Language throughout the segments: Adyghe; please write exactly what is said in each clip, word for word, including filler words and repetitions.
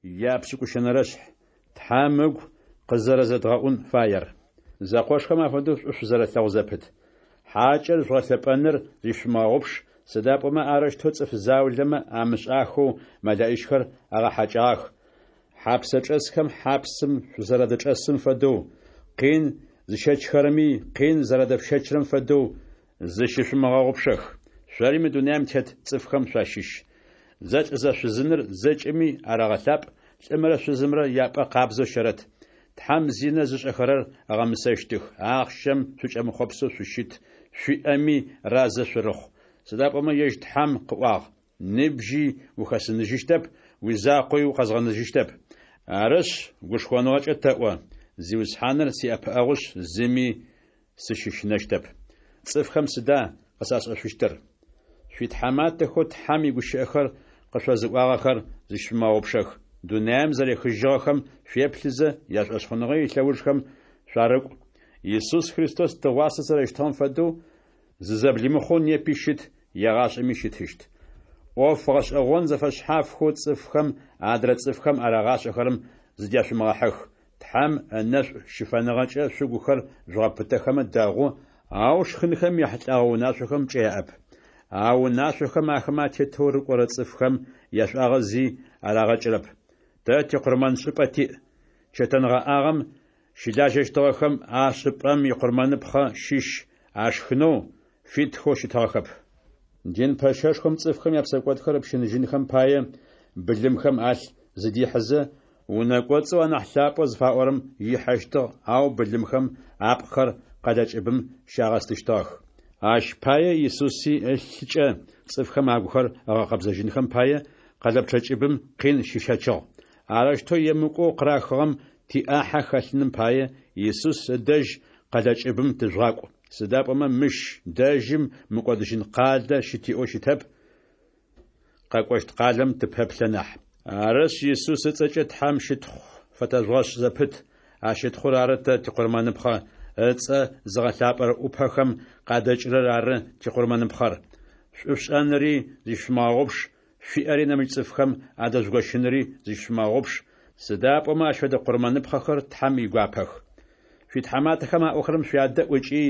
Япшӏыкӏущэнэрэшъхь. Тхьэм ыгу къызэрэзэдгъэӏун фаер. Зэкъошхэм афэдэу шӏу шъузэрэлъэгъу зэпыт. Хьакӏэр жъугъэлъэпӏэныр зыщышъумыгъэгъупш, сыда пӏомэ арэущтэу цӏыф заулэмэ амышӏахэу мэлэӏичхэр агъэхьакӏагъэх. Хьапсэчӏэсхэм хьапсым шъузэрадычӏэсым фэдэу, къин зыщэчхэрэми къин зэрадэшъущэчрэм фэдэу, зыщышъумыгъэгъупшэх. Шъори мы дунаим тет цӏыфхэм шъуащыщ. Зэлӏзэшъузыныр зэкӏэми арэгъэлъапӏ, лӏымрэ шъузымрэ япӏэ къабзэу щэрэт. Тхьэм зинэ зышӏэхэрэр ыгъэмысэщтых. Ахъщэм шъукӏэмыхъопсэу шъущыт, шъуиӏэми разэ шъурыхъу. Сыда пӏомэ ежь Тхьэм къыӏуагъ: «Ныбжьи ухэсыныжьыщтэп, уизакъоуи укъэзгъэнэжьыщтэп». Арышъ, гушхоныгъэкӏэ тэӏо: Зиусхьаныр сиӏэпыӏэгъушъ, зыми сыщыщынэщтэп. Цӏыфхэм сыда къысашӏэшъущтыр? Шъуитхьаматэхэу Тхьэм игущыӏэхэр къышъозыӏуагъэхэр зыщышъумыгъэгъупшэх. Дунаим зэрехыжьыгъэхэм шъуеплъызэ, яшӏошъхъуныгъэ илъэужхэм шъуарыкӏу. Исус Христос тыгъуасэ зэрэщытыгъэм фэдэу, зызэблимыхъоу непи щыт, егъашӏэми щытыщт. ӏоф гъэшӏэгъон зэфэшъхьафхэу цӏыфхэм адрэ цӏыфхэм арагъашӏэхэрэм зыдяшъумыгъэхьых. Тхьэм ынэшӏу щыфэныгъэкӏэ шъугухэр жъугъэпытэхэмэ дэгъу, ау шхынхэм яхьылӏэгъэ унашъохэм пкӏэ яӏэп. А унашъохэм ахэмэ атетэу рыкӏорэ цӏыфхэм яшӏуагъэ зи арагъэкӏырэп. Тэ тикъурмэншӏыпӏэ тиӏ. Чэтэнгъэӏагъэм щылажьэщтыгъэхэм а шӏыпӏэм икъурмэныпхъэ щыщ ашхынэу фитхэу щытыгъэхэп. Дин пэщэшхом цӏыфхэм япсэкӏодхэр ыпщыныжьынхэм пае, былымхэм алъ зыдихьызэ, унэ кӏоцӏэу анахь лъапӏэу зыфаӏорэм ихьэщтыгъ, ау былымхэм апкъхэр къэлэ кӏыбым щагъэстыщтыгъэх. Ащ пае Исуси ылъыкӏэ цӏыфхэм агухэр ыгъэкъэбзэжьынхэм пае, къэлэпчъэ кӏыбым къин щищэчыгъ. Арэущтэу емыкӏоу къырахыгъэм тиӏахьэ хэлъыным пае, Исус ыдэжь къэлэ кӏыбым тыжъугъакӏу. Сыда пӏомэ мыщ дэжьым мыкӏодыжьын къалэ щытиӏэу щытэп, къэкӏощт къалэм тыпэплъэ нахь. Арышъ, Исус ыцӏэкӏэ Тхьэм щытхъу фэтэжъугъэшӏ зэпыт. А щытхъур ары тэ тикъурмэныпхъэ, ыцӏэ зыгъэлъапӏэрэ ӏупэхэм къадэкӏырэр ары тикъурмэныпхъэр. Шӏушӏэнри зыщышъумыгъэгъупш, шъуиӏэри нэмыкӏ цӏыфхэм адэжъугощынри зыщышъумыгъэгъупш, сыда пӏомэ ащ фэдэ къурмэныпхъэхэр Тхьэм игуапэх. Шъуитхьаматэхэм аӏохэрэм шъуядэӏу ыкӏи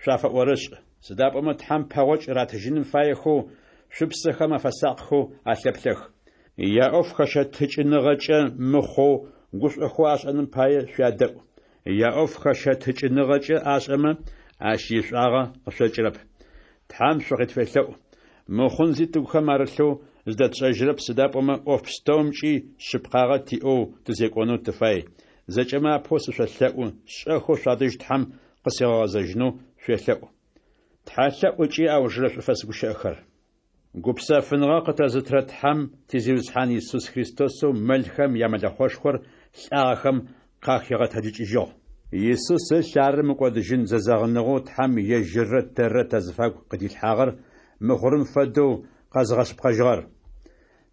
шъуафэӏорышӏ, сыда пӏомэ Тхьэм пэгъокӏ ратыжьыным фаехэу, шъупсэхэм афэсакъхэу алъэплъэх. Яӏоф хэщэтыкӏыныгъэкӏэ мыхъоу, гушӏохэу ашӏэным пае шъуядэӏу. Яӏоф хэщэтыкӏыныгъэкӏэ ашӏэмэ, ащ ишӏуагъэ къышъокӏырэп. Тхьэм шъукъытфелъэӏу. Мыхъун зи тыгухэм арылъэу зыдэтшӏэжьырэп, сыда пӏомэ ӏоф пстэумкӏи шъыпкъагъэ тиӏэу тызекӏонэу тыфай. Зэкӏэмэ апэу сышъолъэӏу, шӏэхэу шъуадэжь Тхьэм къысигъэгъэзэжьынэу шъуелъэӏу. Тхьэлъэӏу ыкӏи аужырэ шӏуфэс гущыӏэхэр. Гупсэфыныгъэ къытэзытырэ Тхьэм ти Зиусхьан Исус Христосэу мэлхэм ямэлэхъошхор лӏагъэхэм къахигъэтэджыкӏыжьыгъ. Исус ылъ ары мыкӏодыжьын зэзэгъыныгъэу Тхьэм ежьыррэ тэррэ тазыфагу къыдилъхьагъэр мыхъурым фэдэу къэзыгъэшъыпкъэжьыгъэр.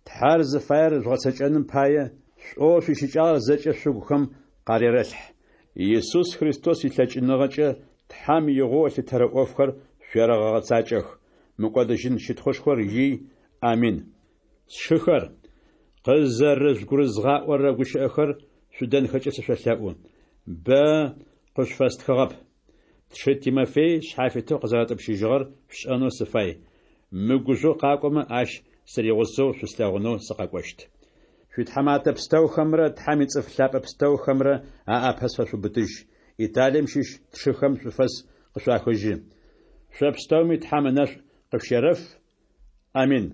Тхьэр зыфаер жъугъэцэкӏэным пае, шӏоу шъуищыкӏагъэр зэкӏэ шъугухэм къарерэлъхь. Исус Христос илъэкӏыныгъэкӏэ Тхьэм игъоу ылъытэрэ ӏофхэр шъуерэгъэгъэцакӏэх. Мыкӏодыжьын щытхъушхор ий. Амин. Сшыхэр, къызэрыжъугурызгъаӏорэ гущыӏэхэр шъудэнхэкӏэ сышъолъэӏу. Бэ къышъуфэстхыгъэп. Тшы Тимофей шъхьафитэу къызэрэтӏупщыжьыгъэр шъушӏэнэу сыфай. Мыгужъоу къакӏомэ, ащ сыригъусэу шъуслъэгъунэу сыкъэкӏощт. Шъуитхьаматэ пстэухэмрэ Тхьэм ицӏыф лъапӏэ пстэухэмрэ аӏапэ сфэшъуубытыжь. Италием щыщ тшыхэм шӏуфэс къышъуахыжьы. Шъо пстэуми Тхьэм ынэшӏу къышъущерэф. Амин.